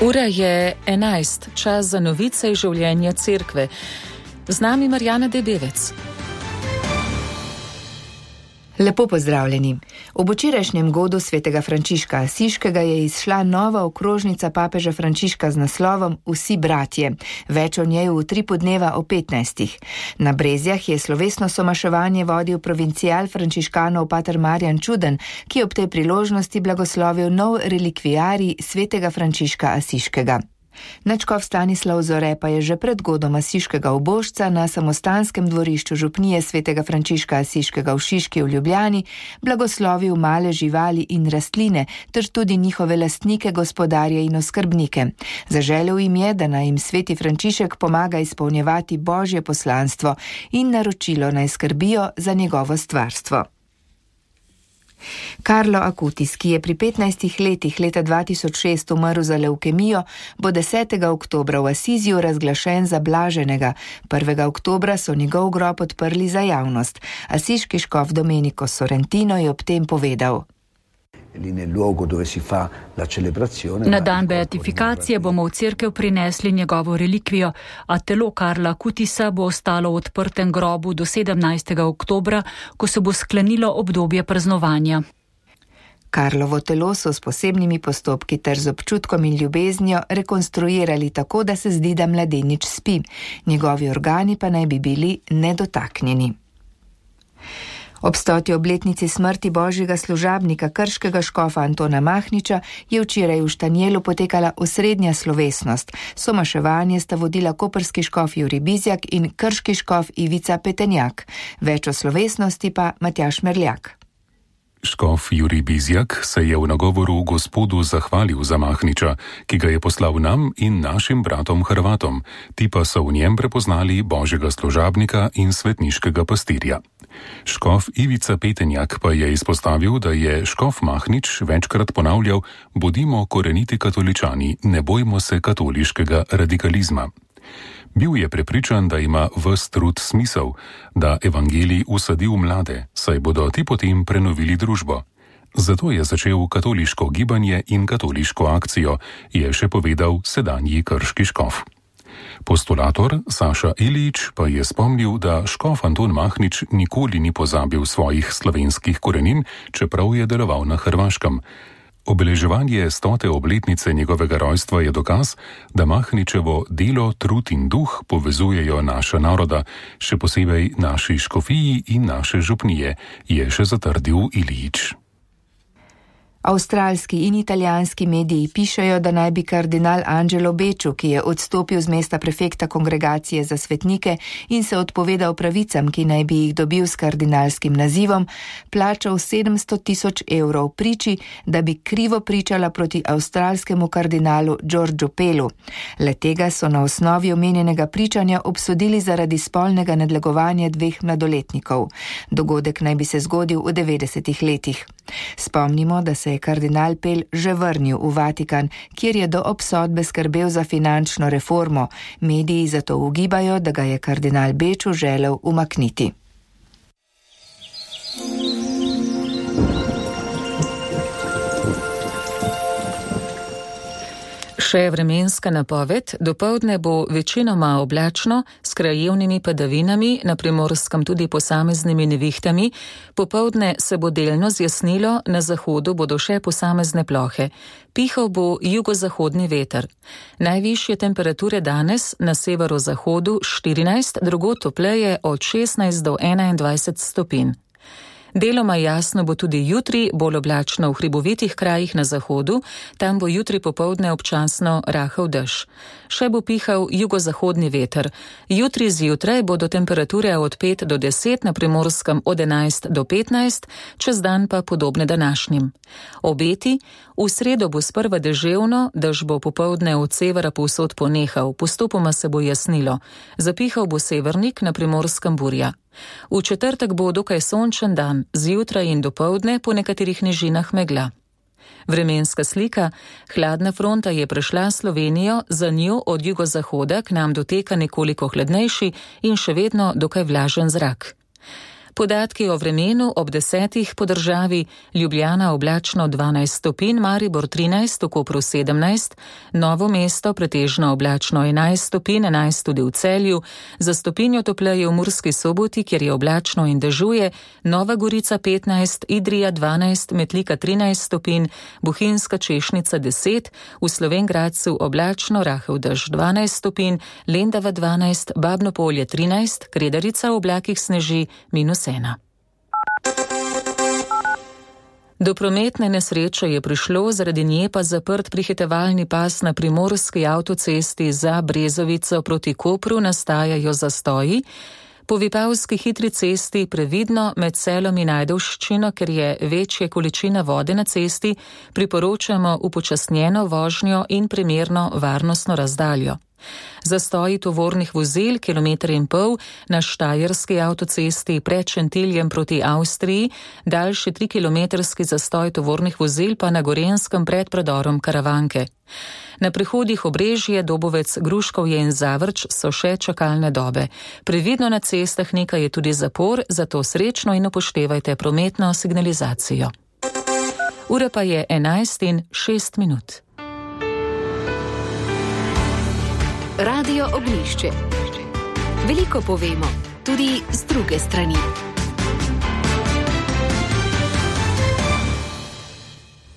Ura je 11, čas za novice iz življenja cerkve. Z nami Marjana Debevec. Lepo pozdravljeni. Ob včerajšnjem godu svetega Frančiška Asiškega je izšla nova okrožnica papeža Frančiška z naslovom Vsi bratje. Več o njej v 3 podneva o 15. Na Brezjah je slovesno somaševanje vodil provincial frančiškanov pater Marjan Čuden, ki ob tej priložnosti blagoslovil nov relikviarij svetega Frančiška Asiškega. Nadškof Stanislav Zore pa je že pred godom Asiškega ubožca na samostanskem dvorišču župnije svetega Frančiška Asiškega v Šiški v Ljubljani blagoslovil male živali in rastline, ter tudi njihove lastnike, gospodarje in oskrbnike. Zaželel jim je, da naj jim sveti Frančišek pomaga izpolnjevati Božje poslanstvo in naročilo naj skrbijo za njegovo stvarstvo. Carlo Acutis, ki je pri 15 letih leta 2006 umrl za levkemijo, bo 10. oktobra v Asiziju razglašen za blaženega. 1. oktobra so njegov grob odprli za javnost. Asiški škof Domenico Sorrentino je ob tem povedal: Na dan beatifikacije bomo v cerkev prinesli njegovo relikvijo, a telo Carla Acutisa bo ostalo v odprtem grobu do 17. oktobra, ko se bo sklenilo obdobje praznovanja. Karlovo telo so s posebnimi postopki ter z občutkom in ljubeznijo rekonstruirali tako, da se zdi, da mladenič spi. Njegovi organi pa naj bi bili nedotaknjeni. Ob 100. obletnici smrti božjega služabnika krškega škofa Antona Mahniča je včeraj v Štanjelu potekala osrednja slovesnost. Somaševanje sta vodila koprski škof Jurij Bizjak in krški škof Ivica Petenjak. Več o slovesnosti pa Matjaž Merljak. Škof Jurij Bizjak se je v nagovoru Gospodu zahvalil za Mahniča, ki ga je poslal nam in našim bratom Hrvatom. Ti pa so v njem prepoznali božjega služabnika in svetniškega pastirja. Škof Ivica Petenjak pa je izpostavil, da je škof Mahnič večkrat ponavljal: bodimo koreniti katoličani, ne bojmo se katoliškega radikalizma. Bil je prepričan, da ima ves trud smisel, da evangelij usadi v mlade, saj bodo ti potem prenovili družbo. Zato je začel katoliško gibanje in katoliško akcijo, je še povedal sedanji krški škof. Postulator Saša Ilič pa je spomnil, da škof Anton Mahnič nikoli ni pozabil svojih slovenskih korenin, čeprav je deloval na Hrvaškem. Obeleževanje 100. obletnice njegovega rojstva je dokaz, da Mahničevo delo, trud in duh povezujejo naša naroda, še posebej naši škofiji in naše župnije, je še zatrdil Ilič. Avstralski in italijanski mediji pišejo, da naj bi kardinal Angelo Becciu, ki je odstopil z mesta prefekta kongregacije za svetnike in se odpovedal pravicam, ki naj bi jih dobil s kardinalskim nazivom, plačal 700 000 evrov priči, da bi krivo pričala proti avstralskemu kardinalu Georgiu Pellu. Le tega so na osnovi omenjenega pričanja obsodili zaradi spolnega nadlegovanja 2 mladoletnikov. Dogodek naj bi se zgodil v 90. letih. Spomnimo, da se je kardinal Pell že vrnil v Vatikan, kjer je do obsodbe skrbel za finančno reformo. Mediji zato ugibajo, da ga je kardinal Becciu želel umakniti. Še vremenska napoved. Dopoldne bo večinoma oblačno, s krajevnimi padavinami, na Primorskem tudi posameznimi nevihtami. Popoldne se bo delno zjasnilo, na zahodu bodo še posamezne plohe. Pihal bo jugozahodni veter. Najvišje temperature danes na severozahodu 14, drugod topleje od 16 do 21 stopinj. Deloma jasno bo tudi jutri, bolj oblačno v hribovitih krajih na zahodu, tam bo jutri popoldne občasno rahel dež. Še bo pihal jugozahodni veter. Jutri zjutraj bodo temperature od 5 do 10, na Primorskem od 11 do 15, čez dan pa podobne današnjim. Obeti: v sredo bo sprva deževno, dež bo popoldne od severa povsod ponehal, postopoma se bo jasnilo. Zapihal bo severnik, na Primorskem burja. V četrtek bo dokaj sončen dan, zjutraj in dopoldne po nekaterih nižinah megla. Vremenska slika: hladna fronta je prešla Slovenijo, za njo od jugozahoda k nam doteka nekoliko hladnejši in še vedno dokaj vlažen zrak. Podatki o vremenu ob 10 po državi: Ljubljana oblačno 12 stopinj, Maribor 13, v Kopru 17, Novo mesto pretežno oblačno 11 stopinj, 11 tudi v Celju, za stopinjo topleje v Murski Soboti, kjer je oblačno in dežuje, Nova Gorica 15, Idrija 12, Metlika 13 stopinj, Bohinjska Češnica 10, v Slovenj Gradcu oblačno, rahel dež 12 stopinj, Lendava 12, Babno Polje 13, Kredarica v oblakih sneži -1. Do prometne nesreče je prišlo, zaradi nje pa zaprt prihitevalni pas na primorski avtocesti za Brezovico proti Kopru, nastajajo zastoji. Po Vipavski hitri cesti previdno med Selom in Ajdovščino, ker je večja količina vode na cesti, priporočamo upočasnjeno vožnjo in primerno varnostno razdaljo. Zastoji tovornih vozil 1,5 km na štajerski avtocesti pred Šentiljem proti Avstriji, daljši 3-kilometrski zastoj tovornih vozil pa na Gorenjskem pred predorom Karavanke. Na prehodih Obrežje, Dobovec, Gruškovje in Zavrč so še čakalne dobe. Previdno na cestah nekaj je tudi zapor, zato srečno in upoštevajte prometno signalizacijo. Ura pa je 11:06. Radio Oglišče. Veliko povemo, tudi z druge strani.